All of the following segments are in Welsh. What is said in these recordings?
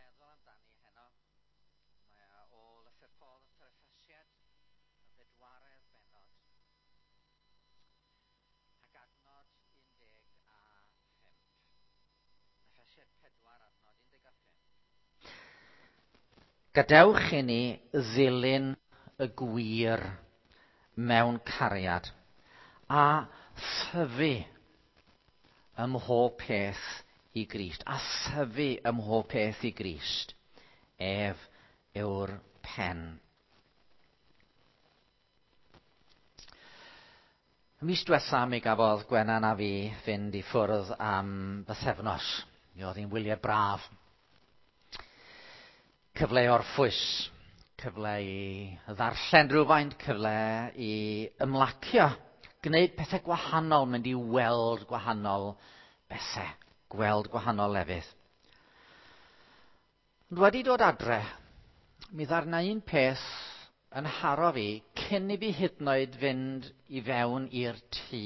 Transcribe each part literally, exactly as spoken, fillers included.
feddwl amdani heno, mae o lythyr Paul at yr Effesiaid, y bedwaredd bennod, ac adnod un deg a phump. Effesiaid pedwar, adnod un deg a phump. Gadewch i ni ddilyn y gwir mewn cariad a thyfu ym mhob peth i Grist, a thyfu ym mhob peth i Grist. Ef yw'r pen. Y mis diwetha mi gafodd Gwenan a fi fynd i ffwrdd am bythefnos. Mi oedd hi'n wyliau braf. Cyfle i orffwys, cyfle i ddarllen rhywfaint, cyfle i ymlacio, gwneud pethau gwahanol, mynd i weld gwahanol bethau, gweld gwahanol lefydd. Ond wedi dod adre, mi ddarna un peth yn haro fi cyn i fi hyd yn oed fynd i fewn i'r tŷ.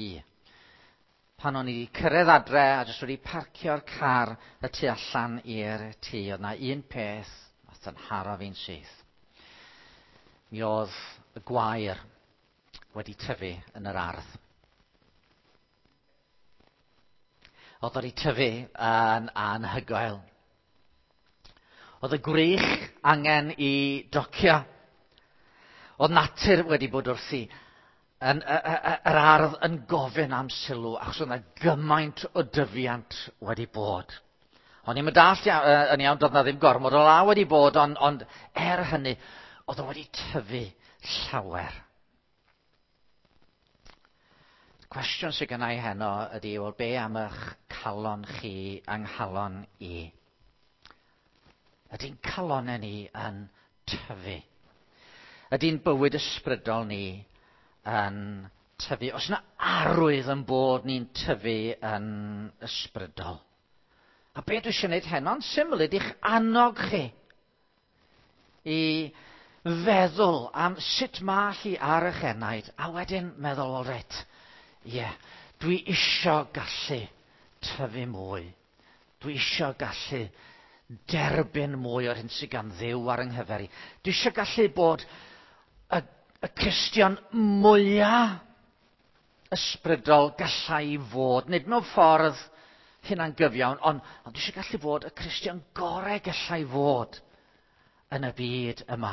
Pan o'n i wedi cyrraedd adre a jyst wedi parcio'r car y tu allan i'r tŷ, oedd na un peth nath yn haro fi'n syth. Mi oedd y gwair wedi tyfu yn yr ardd. Oedd wedi tyfu yn anhygoel. Oedd y gwrych angen i docio. Oedd natur wedi bod wrthi yn, y, y, yr ardd yn gofyn am sylw, achos oedd yna gymaint o dyfiant wedi bod. O'n i'n dallt yn iawn, doedd na ddim gormod o law wedi bod, ond, ond er hynny, oedd o wedi tyfu llawer. Cwestiwn sydd gennau heno ydy, wel, be am eich calon chi a'n nghalon i? Ydy'n calonau ni yn tyfu? Ydy'n bywyd ysbrydol ni yn tyfu? Oes yna arwydd yn bod ni'n tyfu yn ysbrydol? A be dwi eisiau gwneud heno'n syml ydy'ch annog chi i feddwl am sut mae hi ar eich enaid, a wedyn meddwl, wel reit, ie, yeah, dwi isio gallu tyfu mwy. Dwi isio gallu derbyn mwy o'r hyn sydd gan Dduw ar yng nghyfer i. Dwi isio gallu bod y, y Cristion mwyaf ysbrydol gallai fod. Nid mewn ffordd hunangyfiawn, ond, ond dwi eisiau gallu fod y Cristion gorau gallai fod yn y byd yma,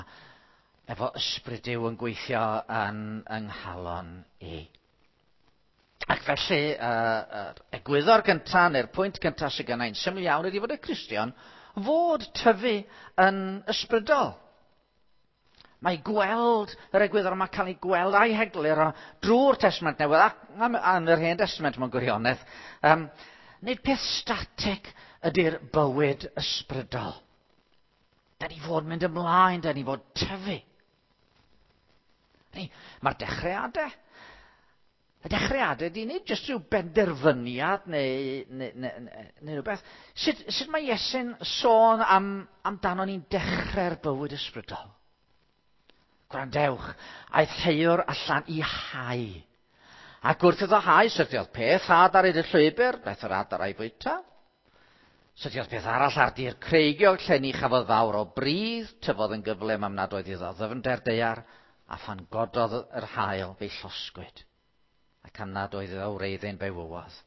efo ysbryd Duw yn gweithio yn yng nghalon i. Ac felly, uh, egwyddor gyntaf, neu'r pwynt gyntaf sydd gennai'n syml iawn ydy fod y Cristion fod tyfu yn ysbrydol. Mae gweld yr egwyddor yma cael ei gweld a'i hegluro drwy'r Testament Newydd ac yn yr Hen Testament mewn gwirionedd. Um, nid peth statig ydy'r bywyd ysbrydol. Da ni fod mynd ymlaen, da ni fod tyfu. Mae'r dechreuadau. Y dechreuadau di nid jyst rhyw benderfyniad neu, neu, neu, neu, neu rhywbeth. Sut, sut mae Iesu'n sôn am, amdano ni'n dechrau'r bywyd ysbrydol? Gwrandewch, aeth heuwr allan i hau. Ac wrth iddo hau, syrthiodd peth had ar hyd y llwybr, daeth yr adar a'i fwyta. Syrthiodd peth arall ar dir creigiog, lle ni chafodd fawr o bridd, tyfodd yn gyflym am nad oedd iddo ddyfnder daear, a phan gododd yr haul fe'i llosgwyd, ac am nad oedd iddo wreiddyn fe'i wywodd.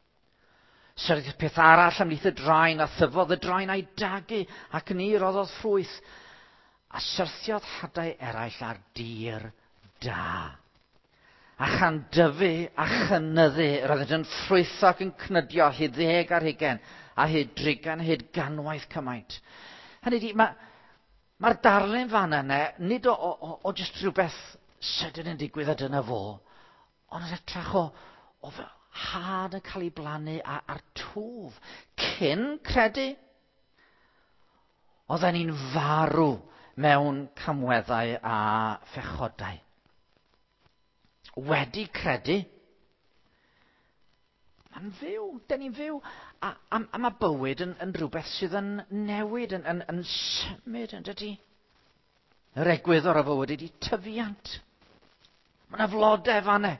Syrthiodd peth arall ymhlith y draen, a thyfodd y draen a'i dagu, ac ni roddodd ffrwyth, a syrthiodd hadau eraill ar dir da. A chan dyfu a chynyddu, roeddent yn ffrwytho ac yn cnydio hyd ddeg ar hugain, a hyd drigain, hyd ganwaith cymaint. Hynny ydi, mae'r ma darlun fan yna, nid o, o, o jyst rhywbeth sydyn yn digwydd a dyna fo, ond yn hytrach o, o fel had yn cael ei blannu a'r twf. Cyn credu, oedden ni'n farw mewn camweddau a phechodau. Wedi credu, mae'n fyw, dyn ni'n fyw, a, a, a mae bywyd yn, yn rhywbeth sydd yn newid, yn, yn, yn symud, yn dydy. Yr egwyddor o fywyd ydy tyfiant. Mae yna flodau fan'na.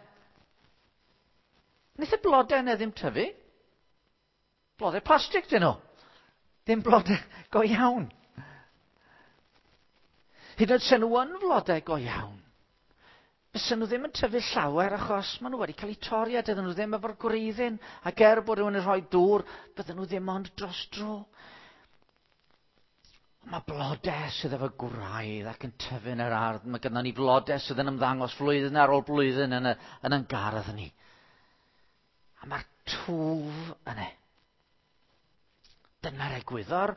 Wnaeth y blodau yna ddim tyfu. Blodau plastig dyn nhw. Ddim blodau go iawn. Hyd yn oed sen nhw yn flodau go iawn, fysen nhw ddim yn tyfu llawer achos maen nhw wedi cael eu torri a dydyn nhw ddim efo'r gwreiddyn, ac er bod rhywun yn rhoi dŵr, bydden nhw ddim ond dros dro. Mae blodau sydd efo gwraidd ac yn tyfu yn yr ardd. Mae gynnon ni flodau sydd yn ymddangos flwyddyn ar ôl blwyddyn yn, y, yn ein gardd ni. A mae'r twf yna. Dyna'r egwyddor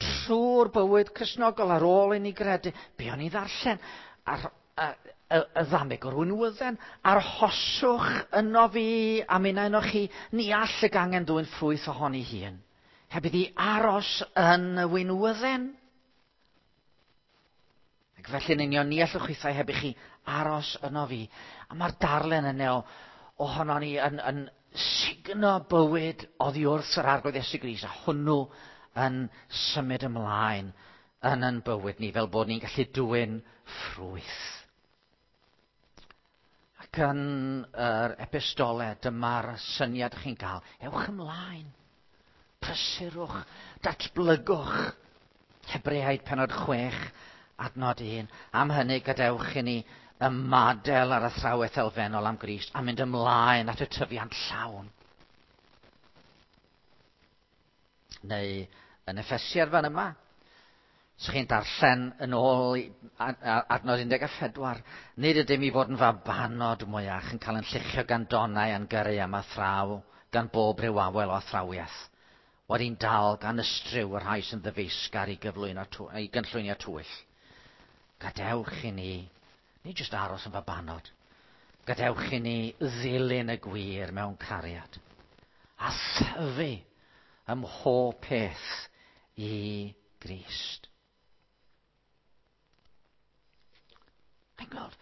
trwy'r bywyd Cristnogol ar ôl i ni gredu. Be o'n i ddarllen? Ar, y, y, y ddameg o'r winwydden. Arhoswch yno fi a minnau yno chi. Ni all y gangen ddwyn ffrwyth ohoni hun. Heb iddi aros yn y winwydden. Ac felly'n union, ni allwch chwithau heb i chi aros yno fi. A mae'r darlun yna o, ohono ni yn, yn sugno bywyd oddi wrth yr Arglwydd Iesu Grist, a hwnnw yn symud ymlaen yn yn bywyd ni, fel bod ni'n gallu dwyn ffrwyth. Ac yn yr epistole, dyma'r syniad chi'n cael. Ewch ymlaen. Prysurwch, datblygwch. Hebreaid penod chwech, adnod un. Am hynny, gadewch i ni ymadael ar athrawiaeth elfennol am Grist a mynd ymlaen at y tyfiant llawn. Neu yn Effesiaid fan yma, os chi'n darllen yn ôl adnod un deg pedwar, nid ydym i fod yn fabanod mwyach yn cael yn lluchio gan donau a'n gyrru am athraw, gan bob rhyw awel o athrawiaeth, wedi'n dal gan ystryw y rhai sy'n ddyfeisgar i gyflwyno i gynllwynio twyll. Gadewch i ni, nid jyst aros yn fabanod, gadewch i ni ddilyn y gwir mewn cariad, a thyfu ym mhob peth i Grist. Chi'n gweld,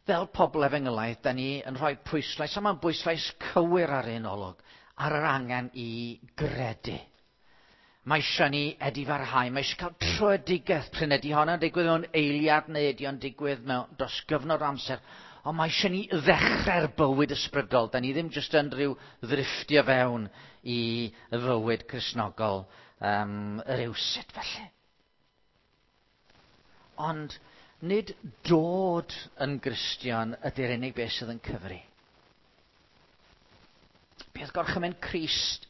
fel pobl efengylaidd, da ni yn rhoi pwyslais, a mae'n bwyslais cywir ar un olwg, ar yr angen i gredu. Mae eisiau ni edifarhau, mae eisiau cael tröedigaeth, prin ydy honno'n digwydd mewn eiliad neu ydy o'n digwydd mewn dros gyfnod amser, ond mae eisiau ni ddechrau'r bywyd ysbrydol. Da ni ddim jyst yn rhyw ddrifftio fewn i fywyd Cristnogol um, rywsut felly. Ond nid dod yn Gristion ydy'r unig beth sydd yn cyfri. Beth gorchymyn Crist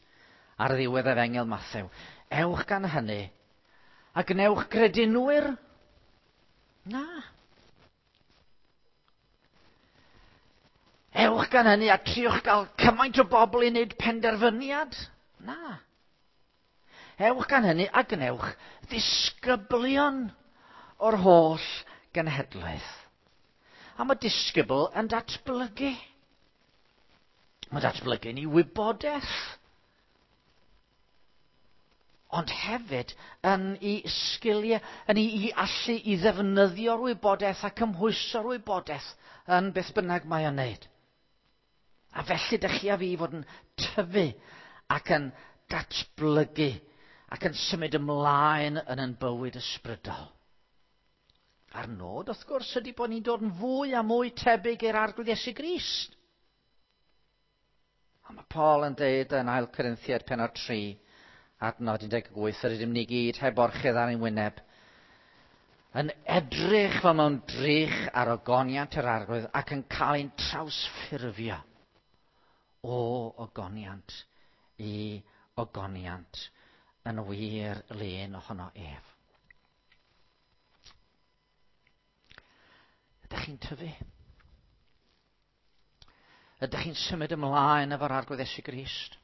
ar ddiwedd Efengyl Mathew? Ewch gan hynny a gwnewch gredinwyr? Na. Ewch gan hynny a triwch gael cymaint o bobl i wneud penderfyniad? Na. Ewch gan hynny a gwnewch ddisgyblion o'r holl genhedlaeth. A mae disgybl yn datblygu. Mae datblygu'n ei wybodaeth. Ond hefyd yn ei sgiliau, yn ei allu i ddefnyddio'r wybodaeth a cymhwyso'r wybodaeth yn beth bynnag mae o'n wneud. A felly dych chi a fi fod yn tyfu ac yn datblygu ac yn symud ymlaen yn ein bywyd ysbrydol. A'r nod, wrth gwrs, ydy bod ni'n dod yn fwy a mwy tebyg i'r Arglwydd Iesu Grist. A mae Paul yn deud yn Ail Corinthiaid pennod tri, adnod un deg wyth, yr ydym ni gyd heb orchudd ar ein wyneb, yn edrych fel mewn drych ar ogoniant yr Arglwydd ac yn cael ein trawsffurfio o ogoniant i ogoniant yn wir lun ohono ef. Ydych chi'n tyfu? Ydych chi'n symud ymlaen efo'r Arglwydd Iesu Grist?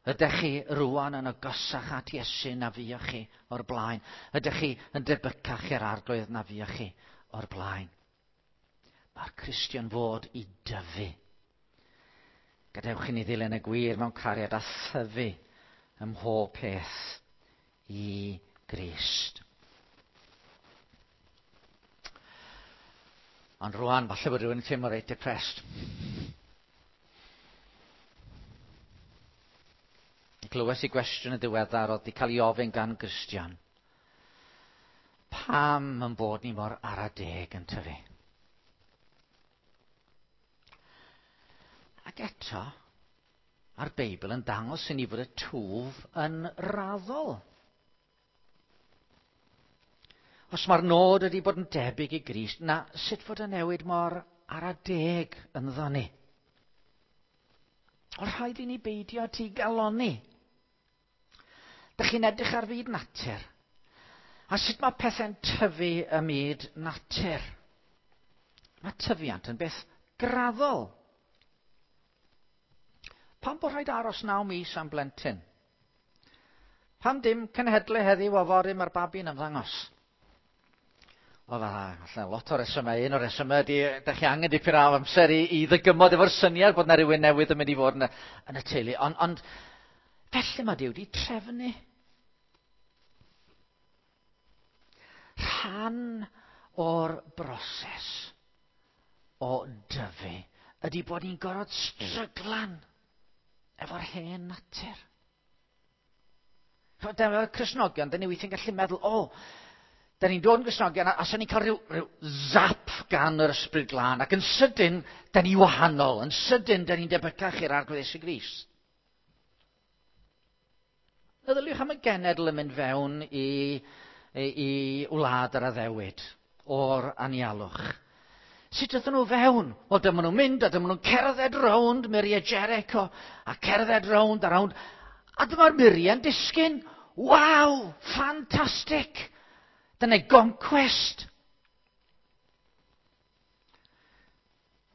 Ydych chi rwan yn agosach at Iesu na fuoch chi o'r blaen? Ydych chi yn debycach i'r Arglwydd na fuoch chi o'r blaen? Mae'r Cristion fod i dyfu. Gadewch i ni ddilyn y gwir mewn cariad a thyfu ym mhob peth i Grist. Ond rwan, falle bod rhywun yn teimlo reit depressed. Glywes i gwestiwn y diweddar oedd wedi cael ei ofyn gan Gristion. Pam yn bod ni mor ara deg yn tyfu? Ac eto, mae'r Beibl yn dangos i ni fod y twf yn raddol. Os mae'r nod ydy bod yn debyg i Grist, na sut fod y newid mor ara deg ynddo ni? O rhaid i ni beidio digalonni. Dych chi'n edrych ar fyd natur. A sut mae pethau'n tyfu ym myd natur? Mae tyfiant yn beth graddol. Pam bod rhaid aros naw mis am blentyn? Pam dim cenhedlu heddiw a fory mae'r babi'n ymddangos? O, falle lot o resymau. Un o'r resymau ydy, ydych chi angen dipyn o amser i, i ddygymod efo'r syniad bod yna rhywun newydd yn mynd i fod yn y, yn y teulu. Ond, ond felly mae Duw wedi trefnu. Rhan o'r broses o dyfu ydy bod ni'n gorfod stryglan efo'r hen natur. Dyma'r Cristnogion, dyn ni weithiau'n gallu meddwl, o, da ni'n dod yn Gristnogion, a, a sa'n ni'n cael rhyw, rhyw zap gan yr Ysbryd Glân, ac yn sydyn, da ni wahanol, yn sydyn, da ni'n debycach i'r Arglwydd Iesu Grist. Meddyliwch am y genedl yn mynd fewn i, i, i wlad yr addewid o'r anialwch. Sut ydyn nhw fewn? Wel, dyma nhw'n mynd a dyma nhw'n cerdded rownd muriau Jericho, a cerdded rownd a rownd, a dyma'r muriau'n disgyn. Waw! Ffantastig! Dyna goncwest.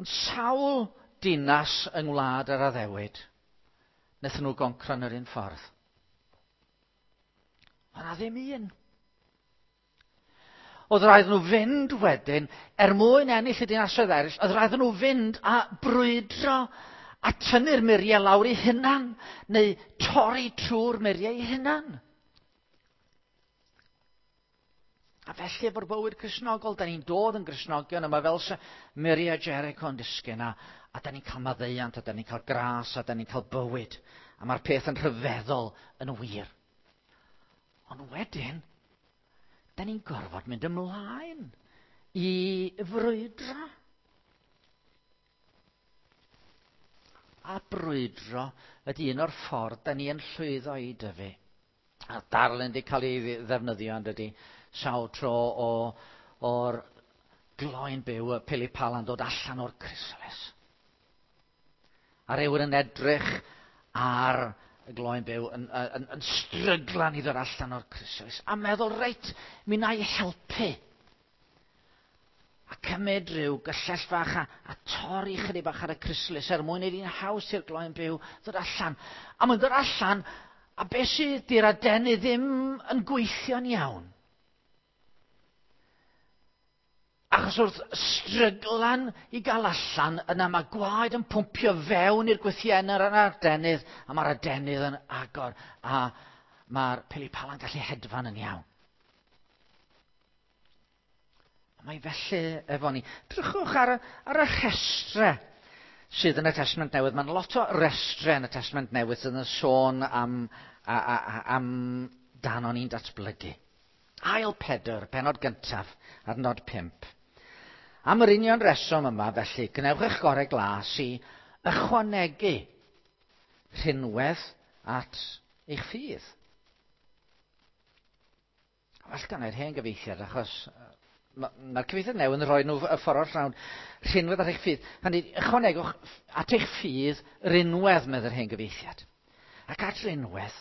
Ond sawl dinas yng ngwlad yr addewid, wnaethon nhw goncro yn yr un ffordd. Ond na ddim un. Oedd rhaid nhw fynd wedyn, er mwyn ennill y dinasoedd eraill, oedd rhaid nhw fynd a brwydro a tynnu'r muriau lawr eu hunan, neu torri trwy'r muriau eu hunan. A felly efo'r bywyd Cristnogol, da ni'n dod yn Gristnogion, yma fel se muriau Jericho yn disgyn, a, a da ni'n cael maddeuant, a da ni'n cael gras, a da ni'n cael bywyd. A mae'r peth yn rhyfeddol yn wir. Ond wedyn, da ni'n gorfod mynd ymlaen i frwydro. A brwydro ydy un o'r ffordd da ni yn llwyddo i dyfu. A darlun wedi cael ei ddefnyddio yn dydy, sawl tro o, o'r gloen byw, y pili-pala'n dod allan o'r chrysalis. A rhywun yn edrych ar y gloen byw yn, yn, yn stryglan i ddod allan o'r chrysalis. A meddwl, reit, mi wna i helpu. A cymryd rhyw gyllell fach a, a torri chydig bach ar y chrysalis er mwyn i'n haws i'r gloen byw ddod allan. A mae'n dod allan, a beth sydd di'r adenydd ddim yn gweithio'n iawn. Achos wrth stryglan i gael allan, yna mae gwaed yn pwmpio fewn i'r gwythiennau ar yr adenydd, a mae'r adenydd yn agor, a mae'r pili-pala'n gallu hedfan yn iawn. A mae felly efo ni. Drychwch ar, ar y rhestre sydd yn y Testament Newydd. Mae'n lot o restre yn y Testament Newydd sydd yn sôn am, a, a, a, am dan o'n i'n datblygu. Ail Pedr, penod gyntaf, adnod pump. Am yr union reswm yma, felly, gwnewch eich gorau glas i ychwanegu rhinwedd at eich ffydd. Well gan i'r hen gyfieithiad, achos mae'r cyfieithiad newydd yn rhoi nhw y ffordd o'r llawn. Rhinwedd at eich ffydd. Hynny, ychwanegwch at eich ffydd rinwedd, meddai'r hen gyfieithiad. Ac at rinwedd,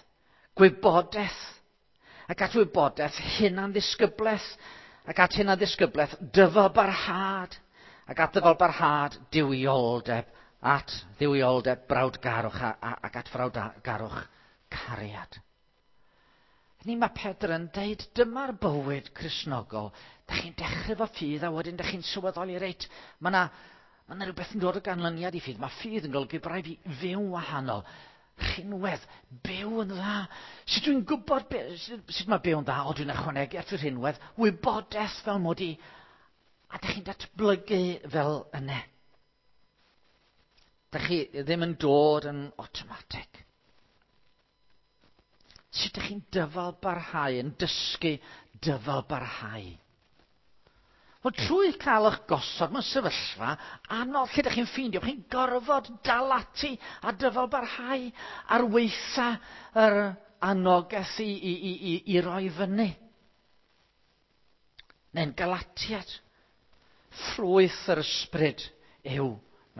gwybodaeth. Ac at wybodaeth, hunanddisgyblaeth. Ac at hunanddisgyblaeth, dyfalbarhad. Ac at ddyfalbarhad, duwioldeb. At dduwioldeb, brawdgarwch. A, a, ac at frawdgarwch, cariad. Ni mae Pedr yn deud, dyma'r bywyd Cristnogol. Da chi'n dechrau efo ffydd a wedyn da chi'n sylweddoli, reit, mae yna ma 'na rhywbeth yn dod o ganlyniad i ffydd. Mae ffydd yn golygu bod rhaid fi fyw'n wahanol. Rhinwedd, byw yn dda. Sut dwi'n gwybod be, sut, sut mae byw yn dda? O, dwi'n ychwanegu at y rhinwedd, wybodaeth fel mod i. A da chi'n datblygu fel yna. Da chi ddim yn dod yn automatic. Sut ydych chi'n dyfal barhau, yn dysgu dyfal barhau? Wel, trwy cael eich gosod mewn sefyllfa anodd lle ydych chi'n ffeindio, chi'n gorfod dal ati a dyfal barhau ar weitha yr anogaeth i, i, i, i, i roi fyny. Neu'n Galatiad. Ffrwyth yr ysbryd yw,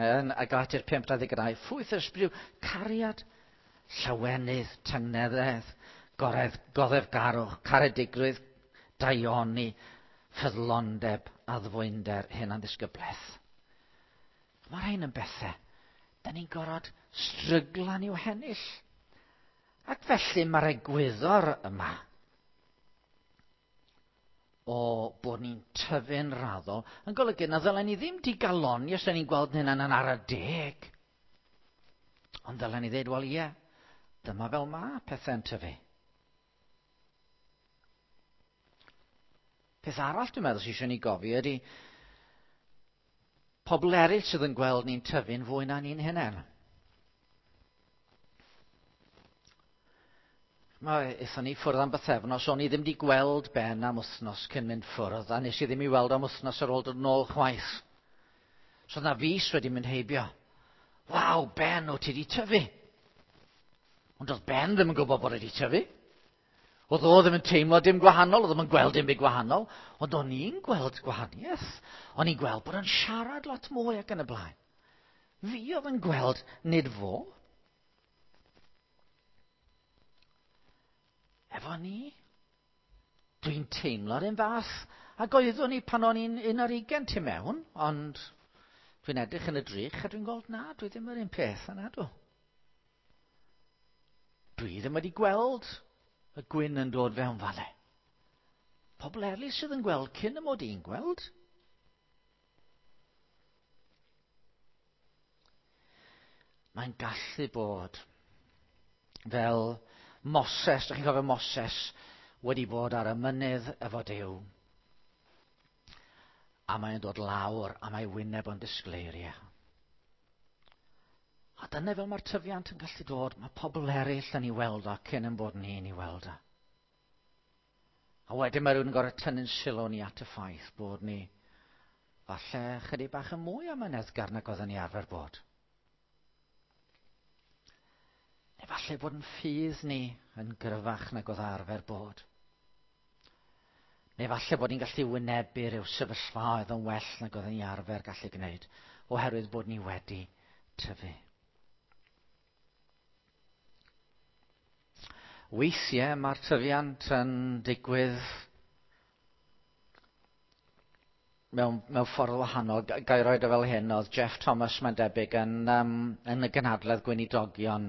yn Galatiad pump dau ddeg dau, ffrwyth yr ysbryd yw cariad, llawenydd, tangnefedd, goredd, goddefgarwch, caredigrwydd, daioni, ffyddlondeb, addfwynder, hunanddisgyblaeth. Mae rhain yn bethau da ni'n gorfod stryglan i'w hennill. Ac felly mae'r egwyddor yma o bod ni'n tyfu'n raddol yn golygu na ddylen ni ddim digaloni os da ni'n gweld hynna'n yn ara deg. Ond ddylen ni ddweud, wel ie, dyma fel ma pethau'n tyfu. Peth arall dwi'n meddwl sydd eisiau ni gofio ydy pobl eraill sydd yn gweld ni'n tyfu'n fwy na ni'n hunain. Mae, aethon ni ffwrdd am bythefnos, o'n i ddim wedi gweld Ben am wythnos cyn mynd ffwrdd, a nes i ddim i weld am wythnos ar ôl dod nôl chwaith. So na fis wedi mynd heibio. Waw, Ben, o ti wedi tyfu. Ond oedd Ben ddim yn gwybod bod wedi tyfu. Oedd o ddim yn teimlo dim gwahanol, oedd ddim yn gweld dim byd gwahanol, ond o'n i'n gweld gwahaniaeth. O'n i'n gweld bod o'n siarad lot mwy ac yn y blaen. Fi oedd yn gweld, nid fo. Efo ni, dwi'n teimlo'r un fath, ac oeddwn i pan o'n i'n un ar ugain tu mewn, ond dwi'n edrych yn y drych a dwi'n gweld na, dwi ddim yr un peth yna, dw. Dwi ddim wedi gweld y gwyn yn dod fewn falle. Pobl eraill sydd yn gweld cyn y mod i'n gweld. Mae'n gallu bod fel Moses, dych chi'n cofio Moses wedi bod ar y mynydd efo Duw. A mae'n dod lawr a mae wyneb o'n disgleirio. A dyna fel mae'r tyfiant yn gallu dod, mae pobl eraill yn ei weld o cyn yn bod ni'n ei weld o. A wedyn mae rhywun yn gorfod tynnu'n sylw ni at y ffaith bod ni falle chydig bach yn mwy amyneddgar nag oedden ni arfer bod. Neu falle bod yn ffydd ni yn gryfach nag oedd arfer bod. Neu falle bod ni'n gallu wynebu rhyw sefyllfaoedd yn well nag oedden ni arfer gallu gwneud, oherwydd bod ni wedi tyfu. Weithiau mae'r tyfiant yn digwydd mewn, mewn ffordd wahanol. Ga i roed o fel hyn, oedd Jeff Thomas mae'n debyg yn, um, yn y gynhadledd gweinidogion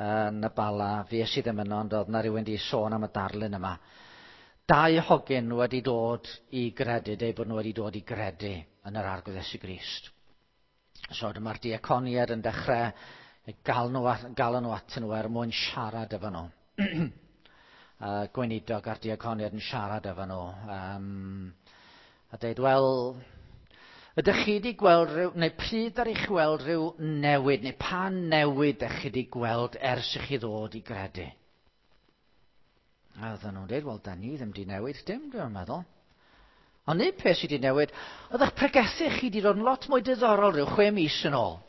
yn y Bala. Fues i ddim yno, ond oedd na rhywun wedi sôn am y darlun yma. Dau hogyn wedi dod i gredu, deu bod nhw wedi dod i gredu yn yr Arglwydd Iesu Grist. So dyma'r diaconiad yn dechrau gael nhw, gael nhw atyn nhw er mwyn siarad efo nhw. uh, gweinidog a'r diaconiad yn siarad efo nhw. Um, a dweud, wel, ydych chi wedi gweld rhyw, neu pryd ar eich weld rhyw newid, neu pa newid ydych chi wedi gweld ers i chi ddod i gredu? A oedden nhw'n dweud, wel, da ni ddim wedi newid dim, dwi'n meddwl. Ond un peth sydd wedi newid, oedd eich pregethu chi wedi dod yn lot mwy diddorol rhyw chwe mis yn ôl.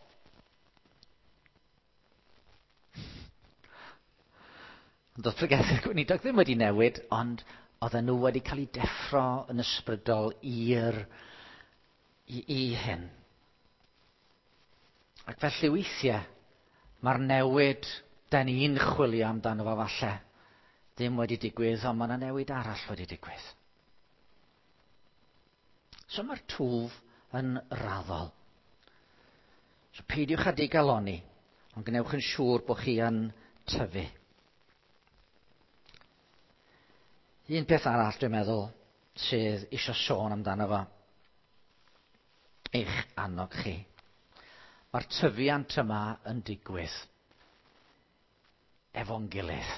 Ond oedd pregethu'r gweinidog ddim wedi newid, ond oedden nhw wedi cael eu deffro yn ysbrydol i'r i, i hyn. Ac felly weithiau, mae'r newid da ni'n chwilio amdano fo falle ddim wedi digwydd, ond mae yna newid arall wedi digwydd. So mae'r twf yn raddol. So peidiwch â digaloni, ond gwnewch yn siŵr bod chi yn tyfu. Un peth arall dwi'n meddwl sydd eisiau sôn amdano fo, eich annog chi. Mae'r tyfiant yma yn digwydd efo'n gilydd.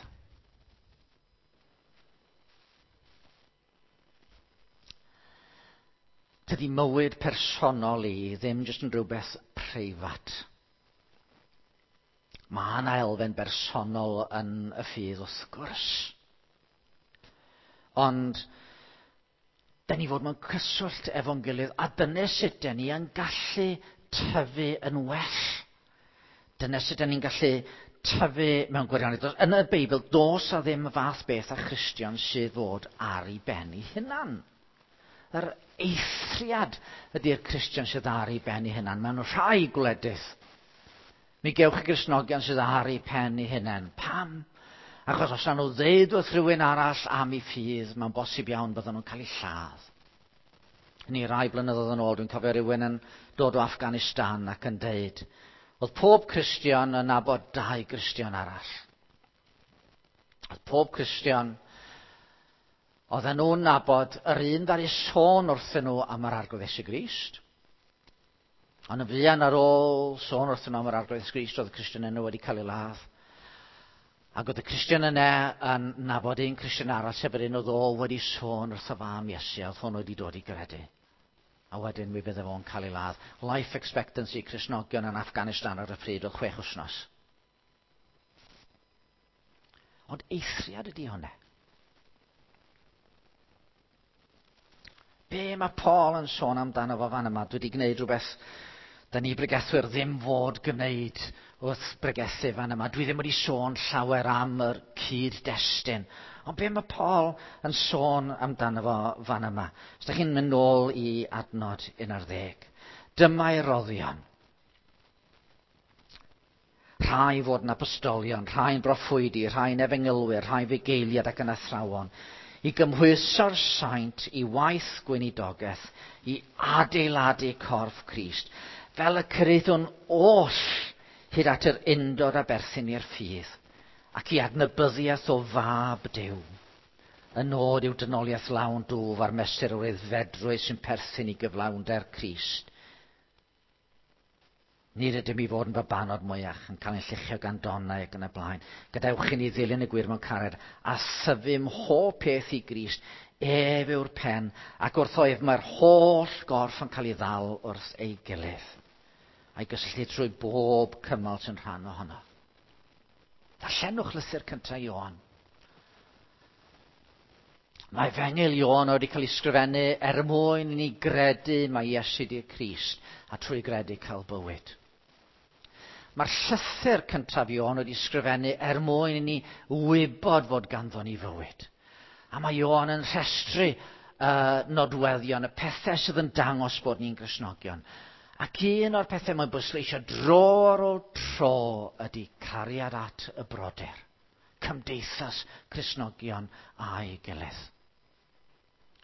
Tydi mywyd personol i ddim jyst yn rhywbeth preifat. Mae yna elfen bersonol yn y ffydd wrth gwrs. Ond, da ni fod mewn cyswllt efo'n gilydd, a dyna sut da ni yn gallu tyfu yn well. Dyna sut da ni'n gallu tyfu mewn gwirionedd. Yn y Beibl, does a ddim fath beth a Christian sydd fod ar ei ben ei hunan. Yr eithriad ydy'r Cristion sydd ar ei ben ei hunan. Mewn rhai gwledydd, mi gewch chi Gristnogion sydd ar ei pen ei hunan. Pam? Achos os na nhw ddeud wrth rhywun arall am ei ffydd, mae'n bosib iawn bydden nhw'n cael eu lladd. Ni rai blynyddoedd yn ôl, dwi'n cofio rhywun yn dod o Afghanistan ac yn deud, oedd pob Cristion yn nabod dau Gristion arall. Oedd pob Cristion, oedden nhw'n nabod yr un ddaru sôn wrthyn nhw am yr Arglwydd Iesu Grist. Ond yn fuan ar ôl sôn wrthyn nhw am yr Arglwydd Iesu Grist, oedd y Cristion yna wedi cael ei ladd. Ac oedd y Cristion yna yn nabod un Cristion arall, sef yr un oedd o wedi sôn wrth y fam Iesu, a oedd hwn wedi dod i gredu. A wedyn mi fydde fo'n cael ei ladd. Life expectancy Cristnogion yn Afghanistan ar y pryd oedd chwech wythnos. Ond eithriad ydy hwnna. Be mae Paul yn sôn amdano fo fan yma? Dwi wedi gwneud rhywbeth da ni bregethwyr ddim fod gwneud wrth bregethu fan yma. Dwi ddim wedi sôn llawer am yr cyd-destun. Ond be mae Paul yn sôn amdano fo fan yma? Os da chi'n mynd nôl i adnod un ar ddeg. Dyma'i roddion. Rhai fod yn apostolion, rhai'n broffwydi, rhai'n efengylwyr, rhai'n fugeiliad ac yn athrawon, i gymhwyso'r saint i waith gweinidogaeth, i adeiladu corff Crist, fel y cyraeddwn oll hyd at yr undod a berthyn i'r ffydd, ac i adnabyddiaeth o fab Duw. Y nod yw dynoliaeth lawn dwf a'r mesur o'r aeddfedrwydd sy'n perthyn i gyflawnder Crist. Nid ydym i fod yn babanod mwyach, yn cael ein lluchio gan donnau ac yn y blaen. Gadewch i ni ddilyn y gwir mewn cariad a thyfu mhob peth i Grist. Ef yw'r pen, ac wrtho ef mae'r holl gorff yn cael ei ddal wrth ei gilydd, a'i gysylltu trwy bob cymal sy'n rhan ohono. Darllenwch lythyr cyntaf Ioan. Mae Efengyl Ioan wedi cael ei sgrifennu er mwyn i ni gredu mai Iesu ydy'r Crist, a trwy gredu cael bywyd. Mae'r llythyr cyntaf Ioan wedi sgrifennu er mwyn i ni wybod fod ganddo ni fywyd. A mae Ioan yn rhestru uh, nodweddion, y pethau sydd yn dangos bod ni'n Gristnogion. Ac un o'r pethau mae'n bwysleisio dro ar ôl tro ydy cariad at y brodyr. Cymdeithas Cristnogion a'i gilydd.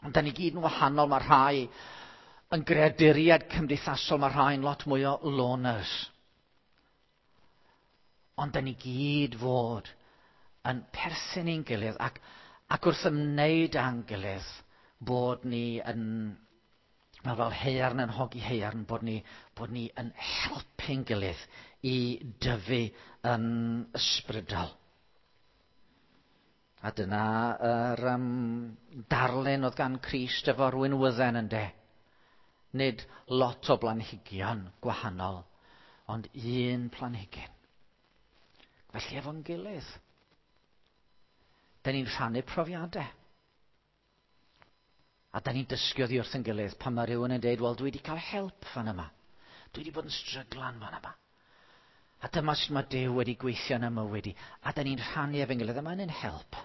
Ond da ni gyd yn wahanol, mae rhai yn greaduriaid cymdeithasol, mae rhai'n lot mwy o loners. Ond da ni gyd fod yn perthyn i'n gilydd ac, ac wrth ymwneud â'n gilydd bod ni yn, mae fel haearn yn hogi haearn, bod ni, bod ni yn helpu'n gilydd i dyfu yn ysbrydol. A dyna yr um, darlun oedd gan Crist efo'r winwydden ynde. Nid lot o blanhigion gwahanol, ond un planhigyn. Felly efo'n gilydd, da ni'n rhannu profiadau. A da ni'n dysgu oddi wrth yn gilydd pan mae rhywun yn deud, wel, dwi wedi cael help fan yma. Dwi wedi bod yn stryglan fan yma. A dyma sut mae Duw wedi gweithio yn y mywyd i. A da ni'n rhannu efo'n gilydd, a mae'n help.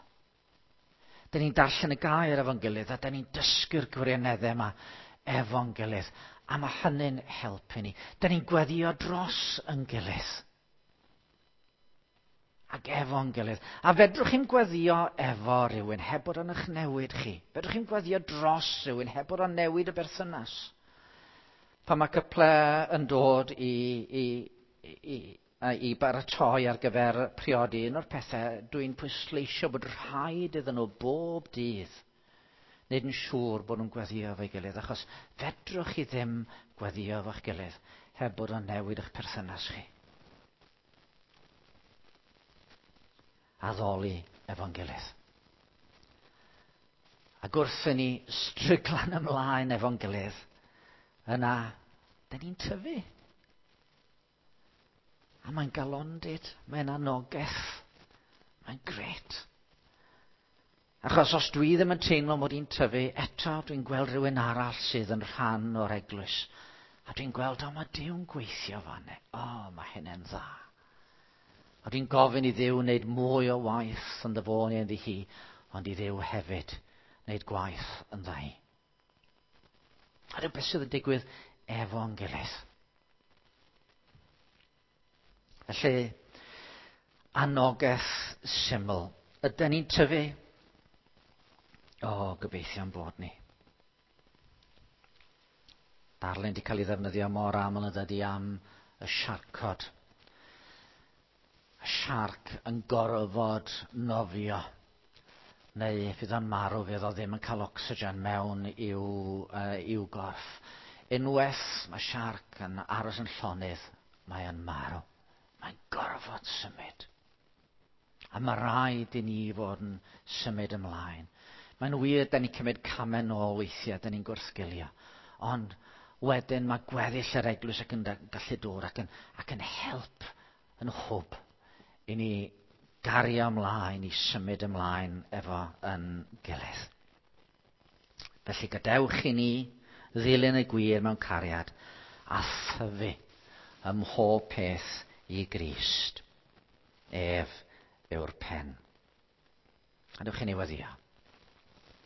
Da ni'n darllen y gair efo'n gilydd, a da ni'n dysgu'r gwirioneddau yma efo'n gilydd. A mae hynny'n helpu ni. Da ni'n gweddio dros yn gilydd. Ac efo'n gilydd. A fedrwch chi'n gweddio efo rhywun heb bod o'n eich newid chi. Fedrwch chi'n gweddio dros rhywun heb bod o'n newid y berthynas. Pan mae cyple yn dod i, i, i, i baratoi ar gyfer priodi, un o'r pethau dwi'n pwysleisio bod rhaid iddyn nhw bob dydd wneud yn siŵr bod nhw'n gweddio efo'i gilydd, achos fedrwch chi ddim gweddio efo'ch gilydd heb bod o'n newid eich perthynas chi. Addoli efo'n gilydd. Ac wrth i ni stryglan ymlaen efo'n gilydd, yna, da ni'n tyfu. A mae'n galondid, mae'n anogaeth, mae'n gret. Achos os dwi ddim yn teimlo mod i'n tyfu, eto dwi'n gweld rhywun arall sydd yn rhan o'r eglwys. A dwi'n gweld, o, mae Duw'n gweithio fan. O, mae hynny'n dda. A dwi'n gofyn i Dduw wneud mwy o waith ynddo fo neu ynddi hi, ond i Dduw hefyd wneud gwaith ynddo hi. A dyw beth sydd yn digwydd efo'n gilydd. Felly, anogaeth syml. Ydy ni'n tyfu? O, gobeithio'n bod ni. Darlun wedi cael ei ddefnyddio mor aml yn dydy am y siarcod. Y siarc yn gorfod nofio. Neu fydd o'n marw, fydd o ddim yn cael ocsigen mewn i'w, uh, i'w gorff. Unwaith mae siarc yn aros yn llonydd, mae o'n marw. Mae'n gorfod symud. A mae rhaid i ni fod yn symud ymlaen. Mae'n wir, da ni'n cymryd camau nôl weithiau, da ni'n gwrthgilio. Ond wedyn mae gweddill yr eglwys ac yn gallu dod ac yn, ac yn help, yn hwb i ni gario ymlaen, i symud ymlaen efo yn gilydd. Felly gadewch i ni ddilyn y gwir mewn cariad a thyfu ym mhob peth i Grist. Ef yw'r pen. Gadewch i ni weddïo.